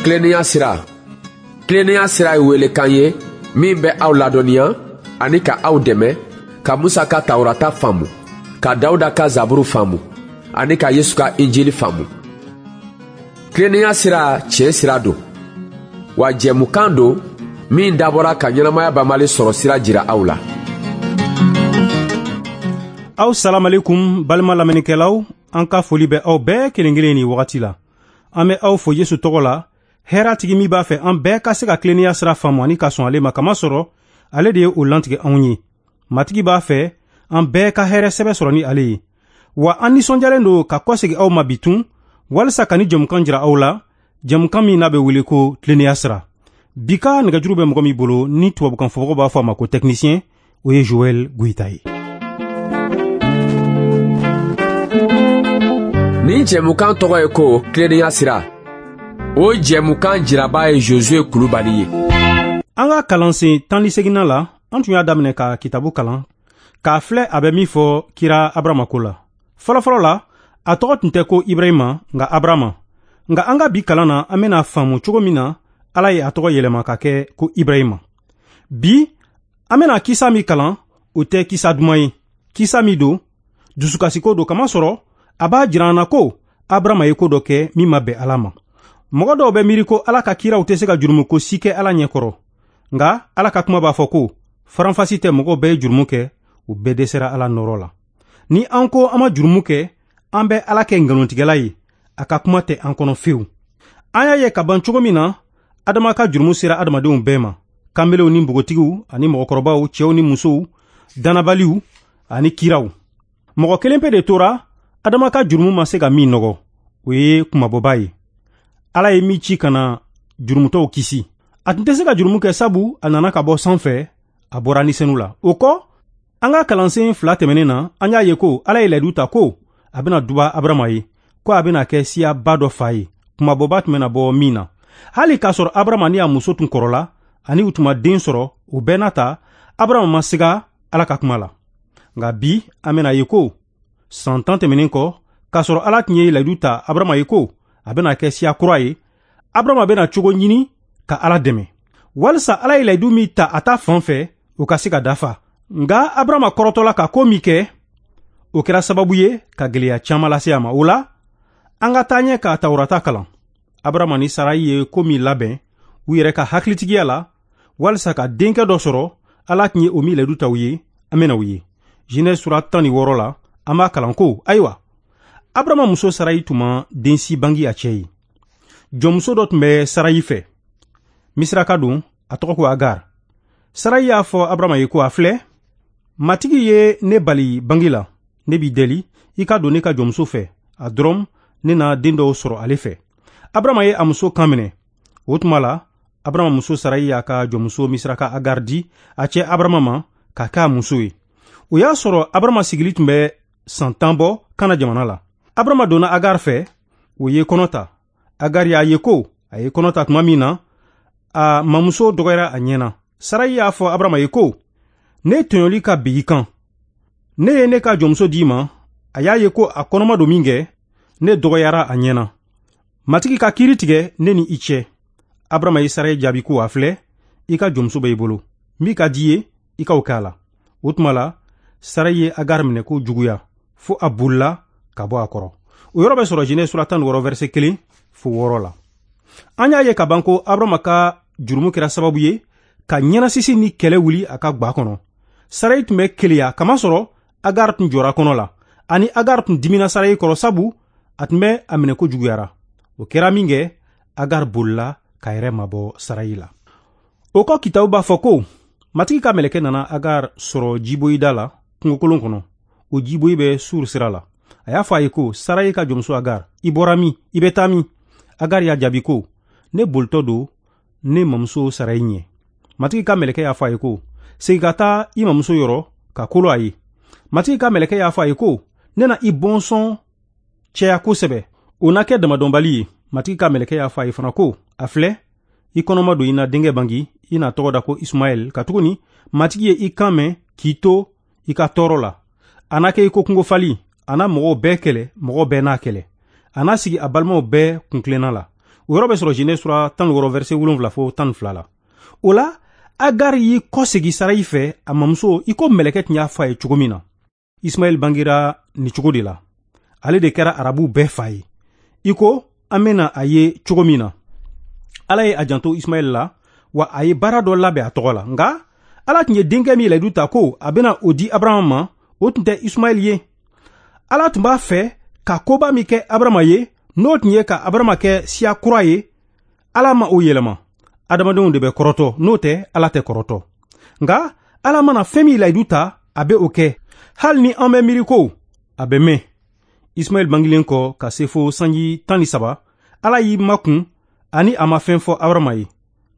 Tilennenya sira. Tilennenya sira ye welekan ye min bɛ aw ladɔnniya ani ka aw dɛmɛ ka Musa ka Tawurata faamu, ka Dawuda ka Zaburu faamu ani ka Yesu ka Injili faamu. Tilennenya sira tiɲɛ sira don, wa jɛmukan don min dabɔra ka ɲɛnamaya banbali sɔrɔ sira jira aw la. Aw salamalekum balima lamɛnnikɛlaw, an ka foli bɛ aw bɛɛ kelen kelen nin wagati la. An bɛ aw fo Yesu tɔgɔ la, hɛrɛ tigi min b'a fɛ an bɛɛ ka se ka tilennenya sira faamu ani ka sɔn ale ma, kamasɔrɔ ale de ye o lantigɛ anw ye. Matigi b'a fɛ an bɛɛ ka hɛrɛ sɛbɛ sɔrɔ ni ale ye. Wa an nisɔndiyalen don ka kɔsegin aw ma bi tun, walisa ka ni jɛmukan jira aw la, jɛmukan min n'a bɛ wele ko tilennenya sira. Bi ka nɛgɛjuru bɛ mɔgɔ min bolo ni tubabukan fɔbagaw b'a fɔ a ma ko technicien, o ye Joël Goïta ye. Nin jɛmukan tɔgɔ ye ko tilennenya sira. O jɛmukan jiraba ye Josué Kulubali ye. An ka kalansen 18nan la, an tun y'a daminɛ ka kitabu kalan k'a filɛ a bɛ min fɔ kira Abrama ko la. Fɔlɔfɔlɔ la, a tɔgɔ tun tɛ ko Ibrahima, nka Abrama. Nka an ka bi kalan na, an bɛna faamu cogo min na Ala ye a tɔgɔ yɛlɛma ka kɛ ko Ibrahima. Bi, an bɛna kisa min kalan, o tɛ kisa duman ye. Kisa min don, dusukasiko don, kamasɔrɔ a b'a jira an na ko Abrama ye ko dɔ kɛ min ma bɛn Ala ma. Mɔgɔ dɔw bɛ miiri ko Ala ka kiraw tɛ se ka jurumuko si kɛ Ala ɲɛkɔrɔ. Nka Ala ka kuma b'a fɔ ko faranfasi tɛ mɔgɔw bɛɛ ye jurumu kɛ, u bɛɛ dɛsɛra Ala nɔrɔ la. Ni an ko an ma jurumu kɛ, an bɛ Ala kɛ nkalontigɛla ye, a ka kuma tɛ an kɔnɔ fewu. An y'a ye ka ban cogo min na, Adama ka jurumu sera adamadenw bɛɛ ma, kanbelenw ni npogotigiw ani mɔgɔkɔrɔbaw, cɛw ni musow, dannabaliw ani kiraw. Mɔgɔ kelen pe de tora Adama ka jurumu ma se ka min nɔgɔ, o ye kunmabɔba ye. Ala ye min ci ka na jurumutɔw kisi. A tun tɛ se ka jurumu kɛ sabu a nana ka bɔ sanfɛ, a bɔra ni senu la. O kɔ, an ka kalansen 2 tɛmɛnen na, an y'a ye ko Ala ye layidu ta ko a bɛna duba Abrama ye, ko a bɛna kɛ siyaba dɔ fa ye, kunmabɔba tun bɛna bɔ min na. Hali k'a sɔrɔ Abrama ni a muso tun kɔrɔla ani u tun ma den sɔrɔ, o bɛɛ n'a ta, Abrama ma siga Ala ka kuma la. Nka bi, an bɛna ye ko san 10 tɛmɛnen kɔ, k'a sɔrɔ Ala tun ye layidu ta Abrama ye ko a bɛna kɛ siya kura ye, Abrama bɛna cogo ɲini ka Ala dɛmɛ walisa Ala ye layidu min ta a ta fan fɛ, o ka se ka dafa. Nka Abrama kɔrɔtɔla ka ko min kɛ, o kɛra sababu ye ka gɛlɛya caman lase a ma. O la, an ka taa ɲɛ ka Tawurata kalan. Abrama ni Sarayi ye ko min labɛn u yɛrɛ ka hakilitigiya la walisa ka denkɛ dɔ sɔrɔ, Ala tun ye o min layidu ta u ye, an bɛna o ye. Genèse sura 16 la, an b'a kalan ko, ayiwa, Abrama muso Sarayi tun ma den si bange a cɛ ye. Jɔnmuso dɔ tun bɛ Sarayi fɛ, Misiraka don, a tɔgɔ ko Agar. Sarayi y'a fɔ Abrama ye ko, a filɛ, Matigi ye ne bali bange la, ne b'i deli, i ka don ne ka jɔnmuso fɛ, a dɔrɔn ne na den dɔw sɔrɔ ale fɛ. Abrama ye a muso kan minɛ. O tuma la, Abrama muso Sarayi y'a ka jɔnmuso Misiraka Agar di a cɛ Abrama ma k'a kɛ a muso ye. O y'a sɔrɔ Abrama sigili tun bɛ san 10 bɔ Kana jamana la. Abrama donna Agar fɛ, o ye kɔnɔ ta. Agar y'a ye ko a ye kɔnɔ ta tuma min na, a mamuso dɔgɔyara a ɲɛna. Sarayi y'a fɔ Abrama ye ko, ne tɔɲɔli ka bin i kan. Ne ye ne ka jɔnmuso d'i ma, a y'a ye ko a kɔnɔma don min kɛ, ne dɔgɔyara a ɲɛna. Matigi ka kiiri tigɛ ne ni i cɛ. Abrama ye Sarayi jaabi ko, a filɛ, i ka jɔnmuso bɛ i bolo. Min ka di i ye, i ka o kɛ a la. O tuma la, Sarayi ye Agar minɛ ko juguya, fo a bolila ka bɔ a kɔrɔ. O yɔrɔ bɛ sɔrɔ Genèse sura 16 verset 1 fo 6 la. An y'a ye ka ban ko Abrama ka jurumu kɛra sababu ye ka ɲɛnasisi ni kɛlɛ wuli a ka gwa kɔnɔ. Sarayi tun bɛ keleya kamasɔrɔ Agar tun jɔra kɔnɔ la, ani Agar tun dimina Sarayi kɔrɔ sabu a tun bɛ a minɛ ko juguyara. O kɛra min kɛ, Agar bolila ka yɛrɛ mabɔ Sarayi la. O kɔ, kitabu b'a fɔ ko Matigi ka mɛlɛkɛ nana Agar sɔrɔ jiboyida la kungokolon kɔnɔ. O jiboyi bɛ Sur sira la. A y'a fɔ a ye ko, Sarayi ka jɔnmuso Agar, i bɔra min? I bɛ taa min? Agar y'a jaabi ko, ne bolitɔ don ne mamuso Sarayi ɲɛ. Matigi ka mɛlɛkɛ y'a fɔ a ye ko, segin ka taa i mamuso yɔrɔ ka kolo a ye. Matigi ka mɛlɛkɛ y'a fɔ a ye ko, ne na i bɔnsɔn cɛya kosɛbɛ, o na kɛ damadɔnbali ye. Matigi ka mɛlɛkɛ y'a fɔ a ye fana ko, a filɛ, i kɔnɔma don, i na denkɛ bange, i na tɔgɔ da ko Ismaɛl, katuguni Matigi ye i kan mɛn k'i to i ka tɔɔrɔ la. A na kɛ i ko kungofali, a na mɔgɔw bɛɛ kɛlɛ, mɔgɔw bɛɛ n'a kɛlɛ. A n'a sigi a balimaw bɛɛ kuntilenna la. O yɔrɔ bɛ sɔrɔ Genèse sura 16 verset 7 fo 12 la. O la, Agar y'i kɔsegi Sarayi fɛ, a mamuso, i ko mɛlɛkɛ tun y'a fɔ a ye cogo min na. Ismaɛl bangera nin cogo de la. Ale de kɛra arabuw bɛɛ fa ye, i ko an bɛna a ye cogo min na. Ala ye a janto Ismaɛl la, wa a ye baara dɔ labɛn a tɔgɔ la. Nka Ala tun ye denkɛ min layidu ta ko a bɛna o di Abraham ma, o tun tɛ Ismaɛl ye. Ala tun b'a fɛ ka koba min kɛ Abraham ye, n'o tun ye ka Abraham kɛ siya kura ye, Ala ma o yɛlɛma. Adamadenw de bɛ kɔrɔtɔ, n'o tɛ Ala tɛ kɔrɔtɔ. Nka Ala mana fɛn min layidu ta, a bɛ o kɛ, hali ni an bɛ miiri ko a bɛ mɛn. Ismaɛl bangilen kɔ ka se fo sanji 13, Ala y'i makun ani a ma fɛn fɔ Abraham ye.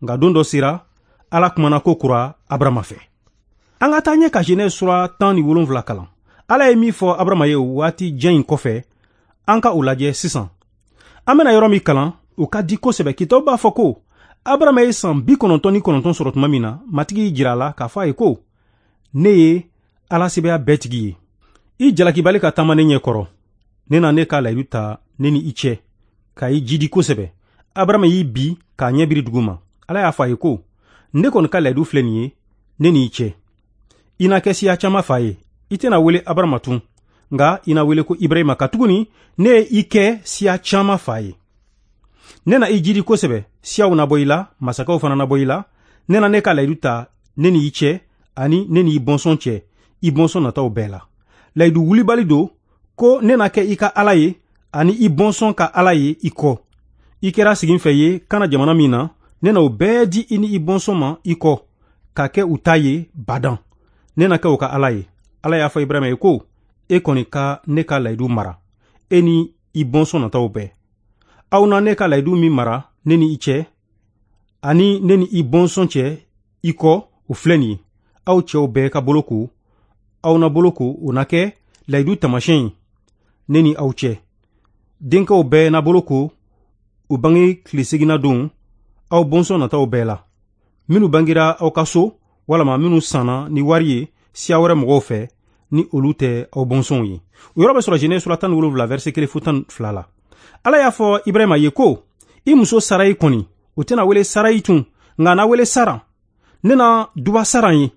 Nka don dɔ sera, Ala kumana ko kura Abraham fɛ. An ka taa ɲɛ ka Genèse sura 17 kalan. Ala ye min fɔ Abraham ye o waati jan in kɔfɛ, an ka o lajɛ sisan. An bɛna yɔrɔ min kalan, o ka di kosɛbɛ. Kitabu b'a fɔ ko Abraham ye san 99 sɔrɔ tuma min na, Matigi y'i jira a la k'a fɔ a ye ko: Ne ye Ala sebaaya bɛɛ tigi ye. I jalakibali ka taama ne ɲɛ kɔrɔ. Ne na ne ka layidu ta ne ni i cɛ, ka i jidi kosɛbɛ. Abraham y'i bi k'a ɲɛ biri dugu ma. Ala y'a fɔ a ye ko: Ne kɔni ka layidu filɛ nin ye ne ni i cɛ. I na kɛ siya caman fa ye. I tɛna wele Abraham tun, nka i na wele ko Ibrahima, katuguni ne ye i kɛ siya caman fa ye. Ne na i jidi kosɛbɛ, siyaw na bɔ i la, masakɛw fana na bɔ i la. Ne na ne ka layidu ta ne ni i cɛ, ani ne ni i bɔnsɔn cɛ, i bɔnsɔn nataw bɛɛ la. Layidu wulibali don ko ne na kɛ i ka Ala ye, ani i bɔnsɔn ka Ala ye i kɔ. I kɛra siginfɛ ye Kana jamana min na, ne na o bɛɛ di i ni i bɔnsɔn ma i kɔ, ka kɛ u ta ye badan. Ne na kɛ u ka Ala ye. Ala y'a fɔ Ibrahima ye ko: E kɔni ka ne ka layidu mara, e ni i bɔnsɔn nataw bɛɛ. Aw na ne ka layidu min mara ne ni i cɛ, ani ne ni i bɔnsɔn cɛ i kɔ, o filɛ nin ye. Aw cɛw bɛɛ ka bolo ko, aw na bolo ko, o na kɛ layidu taamasiyɛn ye ne ni aw cɛ. Denkɛw bɛɛ na bolo ko, u bange tile seginna don, aw bɔnsɔn nataw bɛɛ la. Minnu bangera aw ka so, walama minnu sanna ni wari ye siya wɛrɛ mɔgɔw fɛ, ni olu tɛ aw bɔnsɔnw ye. O yɔrɔ bɛ sɔrɔ Genèse sura 17 verset 1 fo 12 la. Ala y'a fɔ Ibrahima ye ko: I muso Sarayi kɔni, o tɛna wele Sarayi tun, nka a na wele Saran. Ne na duba Saran ye.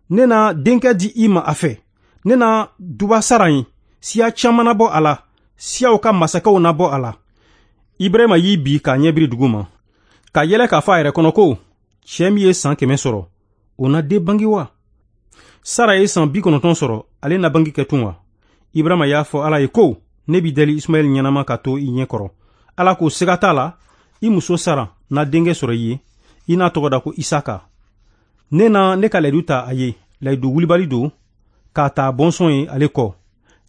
Ne na denkɛ di i ma a fɛ. Ne na duba Saran ye. Siya caman na bɔ a la, siyaw ka masakɛw na bɔ a la. Ibrahima y'i bi k'a ɲɛ biri dugu ma, ka yɛlɛ k'a fɔ a yɛrɛ kɔnɔ ko: Cɛ min ye san 100 sɔrɔ, o na den bange wa? Sara ye san 90 sɔrɔ, ale na bange kɛ tun wa? Ibrahima y'a fɔ Ala ye ko: Ne b'i deli, Ismaɛl ɲɛnama ka to i ɲɛ kɔrɔ. Ala ko: Siga t'a la, i muso Sara na denkɛ sɔrɔ i ye, i n'a tɔgɔ da ko Isaka. Ne na ne ka layidu ta a ye, layidu wulibali don, k'a ta bɔnsɔn ye ale kɔ.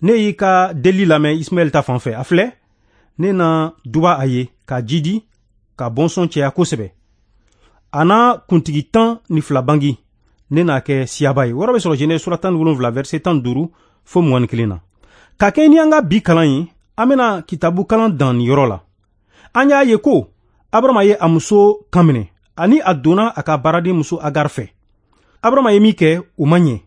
Ne y'i ka deli lamɛn Ismaɛl ta fan fɛ. A filɛ, ne na duba a ye k'a jidi, ka bɔnsɔn cɛya kosɛbɛ. A n'a kuntigi 12 bangi, ne n'a kɛ siyaba ye. Wɔrɔ bɛ sɔrɔ Genèse sura 17 verset 15 fo 21 na. Ka kɛ ni an ka bi kalan ye, an bɛna kitabu kalan dan nin yɔrɔ la. An y'a ye ko Abraham ye a muso kan minɛ, ani a donna a ka baaraden muso Agar fɛ. Abraham ye min kɛ, o ma ɲɛ.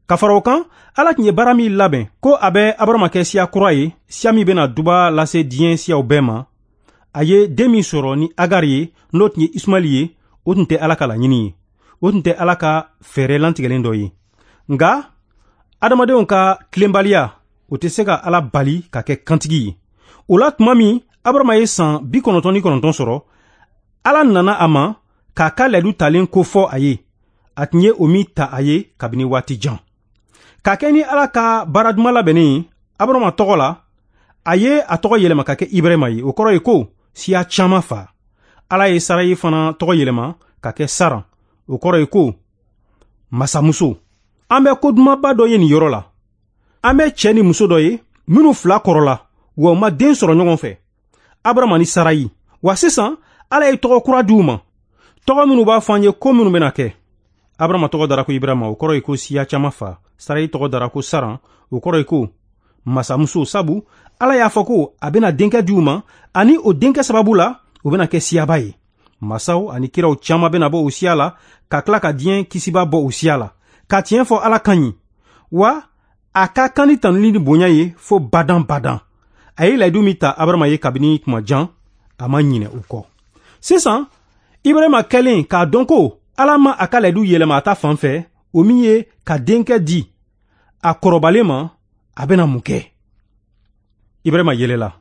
Ka fara o kan, Ala tun ye baara min labɛn ko a bɛ Abraham kɛ siya kura ye, siya min bɛna duba lase diɲɛ siyaw bɛɛ ma, a ye den min sɔrɔ ni Agar ye, n'o tun ye Ismaɛl ye, o tun tɛ Ala ka laɲini ye. O tun tɛ Ala ka fɛɛrɛ lantigɛlen dɔ ye. Nka adamadenw ka tilenbaliya, o tɛ se ka Ala bali ka kɛ kantigi ye. O la tuma min Abraham ye san 99 sɔrɔ, Ala nana a ma k'a ka layidu talen ko fɔ a ye, a tun ye o min ta a ye kabini waati jan. Ka kɛ ni Ala ka baara duman labɛnnen ye Abraham tɔgɔ la, a ye a tɔgɔ yɛlɛma ka kɛ Ibrahima ye. O kɔrɔ ye ko siya caman fa. Ala ye Sarayi fana tɔgɔ yɛlɛma ka kɛ Saran. O kɔrɔ ye ko masamuso. An bɛ ko dumanba dɔ ye nin yɔrɔ la. An bɛ cɛ ni muso dɔ ye minnu fila kɔrɔla, wa u ma den sɔrɔ ɲɔgɔn fɛ, Abraham ni Sarayi. Wa sisan Ala ye tɔgɔ kura di u ma, tɔgɔ minnu b'a fɔ an ye ko minnu bɛna kɛ. Abraham tɔgɔ dara ko Ibrahima, o kɔrɔ ye ko siya caman fa. Sarayi tɔgɔ dara ko Saran, o kɔrɔ ye ko masamuso, sabu Ala y'a fɔ ko a bɛna denkɛ di u ma, ani o denkɛ sababu la o bɛna kɛ siyaba ye. Masaw ani kiraw caman bɛna bɔ o siya la, ka tila ka diɲɛ kisiba bɔ o siya la. Ka tiɲɛ fɔ, Ala ka ɲi, wa a ka kan ni tanuli ni bonya ye fo badan badan. A ye layidu min ta Abraham ye kabini tuma jan, a ma ɲinɛ o kɔ. Sisan Ibrahima kɛlen k'a dɔn ko Ala ma a ka layidu yɛlɛma a ta fan fɛ, o min ye ka denkɛ di a kɔrɔbalen ma, a bɛna mun kɛ? Ibrahima yɛlɛla,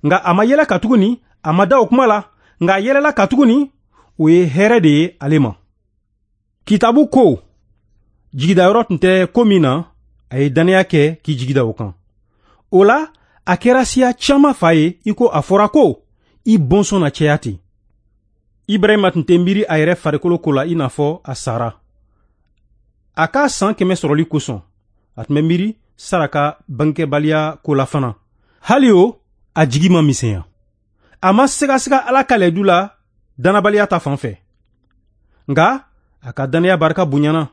nka a ma yɛlɛ katuguni a ma da o kuma la, nka a yɛlɛla katuguni o ye hɛrɛ de ye ale ma. Kitabu ko jigidayɔrɔ tun tɛ ko min na, a ye dannaya kɛ k'i jigi da o kan. O la a kɛra siya caman fa ye, i ko a fɔra ko i bɔnsɔn na caya ten. Ibrahima tun tɛ miiri a yɛrɛ farikolo ko la i n'a fɔ a sara. A ka san 100 sɔrɔli kosɔn, a tun bɛ miiri Sara ka bangekɛbaliya ko la fana. Hali o, a jigi ma misɛnya. A ma sigasiga Ala ka layidu la dannabaliya ta fan fɛ. Nka a ka dannaya barika bonyana,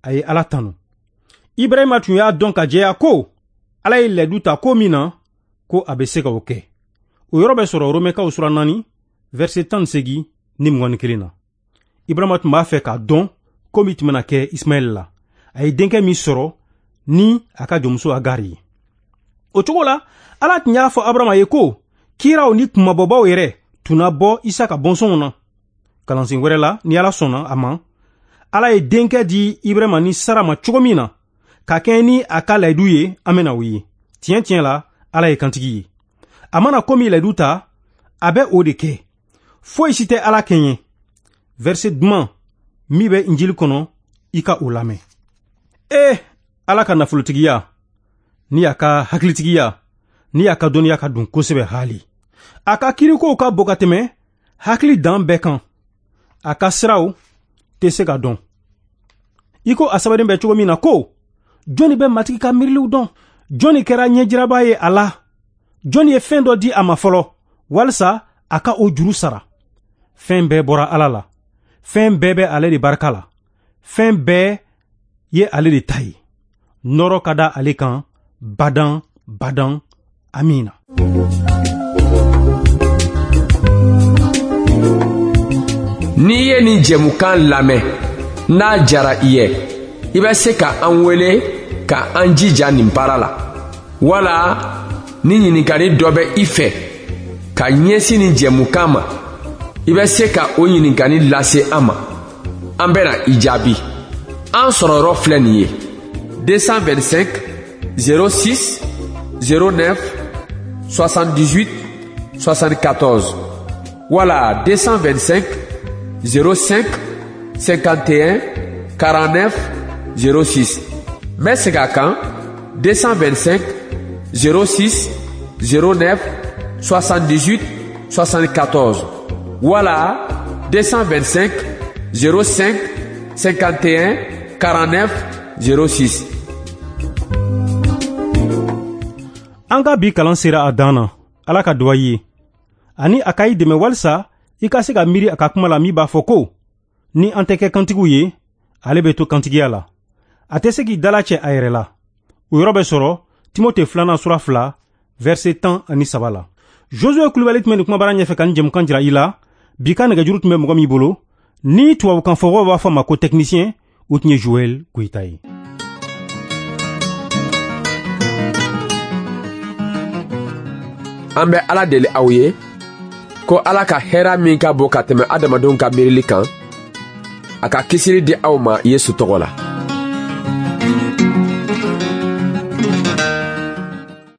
a ye Ala tanu. Ibrahima tun y'a dɔn ka jɛya ko Ala ye layidu ta ko min na, ko a bɛ se ka o kɛ. O yɔrɔ bɛ sɔrɔ Romɛkaw sura 4, verset 18 ni 21 na. Ibrahima tun b'a fɛ k'a dɔn ko min tun bɛna kɛ Ismaɛl la. A ye denkɛ min sɔrɔ ni a ka jɔnmuso Agar ye. O cogo la, Ala tun y'a fɔ Abrahama ye ko kiraw ni kunmabɔbaw yɛrɛ tun na bɔ Isaka bɔnsɔnw na. Kalansen wɛrɛ la, ni Ala sɔnna a ma, Ala ye denkɛ di Ibrahima ni Sara ma cogo min na, ka kɛɲɛ ni a ka layidu ye, an bɛna o ye. Tiɲɛ tiɲɛ la, Ala ye kantigi ye. A mana ko min layidu ta, a bɛ o de kɛ. Foyi si tɛ Ala kɛɲɛ. Verset duman min bɛ Injili kɔnɔ, i ka o lamɛn. Ee, Ala ka nafolotigiya ni a ka hakilitigiya ni a ka dɔnniya ka dun kosɛbɛ haali. A ka kirikow ka bon ka tɛmɛ hakili dan bɛɛ kan. A ka siraw tɛ se ka dɔn. I ko a sɛbɛnnen bɛ cogo min na ko, jɔnni bɛ Matigi ka miiriliw dɔn? Jɔnni kɛra ɲɛjiraba ye a la? Jɔnni ye fɛn dɔ di a ma fɔlɔ, walisa a ka o juru sara? Fɛn bɛɛ bɔra Ala la. Fɛn bɛɛ bɛ ale de barika la. Fɛn bɛɛ ye ale de ta ye. Nɔrɔ ka da ale kan badan badan. Amina. N'i ye nin jɛmukan lamɛn, n'a jara i ye, i bɛ se ka an wele ka an jija nin baara la. Wala ni ɲininkali dɔ bɛ i fɛ ka ɲɛsin nin jɛmukan ma, i bɛ se ka o ɲininkali lase an ma. An bɛna i jaabi. An sɔrɔ yɔrɔ filɛ nin ye: 225 06 09 78 74 wala 225 05 51 49 06. N bɛ segin a kan: 225 06 09 78 74 wala 225 05 51 49 06. An ka bi kalan sera a dan na. Ala ka duwa ye ani a ka i dɛmɛ walisa i ka se ka miiri a ka kuma la min b'a fɔ ko ni an tɛ kɛ kantigiw ye, ale bɛ to kantigiya la. A tɛ se k'i dalacɛ a yɛrɛ la. O yɔrɔ bɛ sɔrɔ Timote 2 sura 2, verset 13 la. Josue Kulubali tun bɛ nin kumabara ɲɛfɛ ka nin jɛmukan jira i la. Bi ka nɛgɛjuru tun bɛ mɔgɔ min bolo, ni tubabukan fɔbagaw b'a fɔ a ma ko technicien, o tun ye Joël Goyita ye. An bɛ Ala deli aw ye ko Ala ka hɛrɛ min ka bon ka tɛmɛ adamadenw ka miirili kan, a ka kisili di aw ma Yesu tɔgɔ la.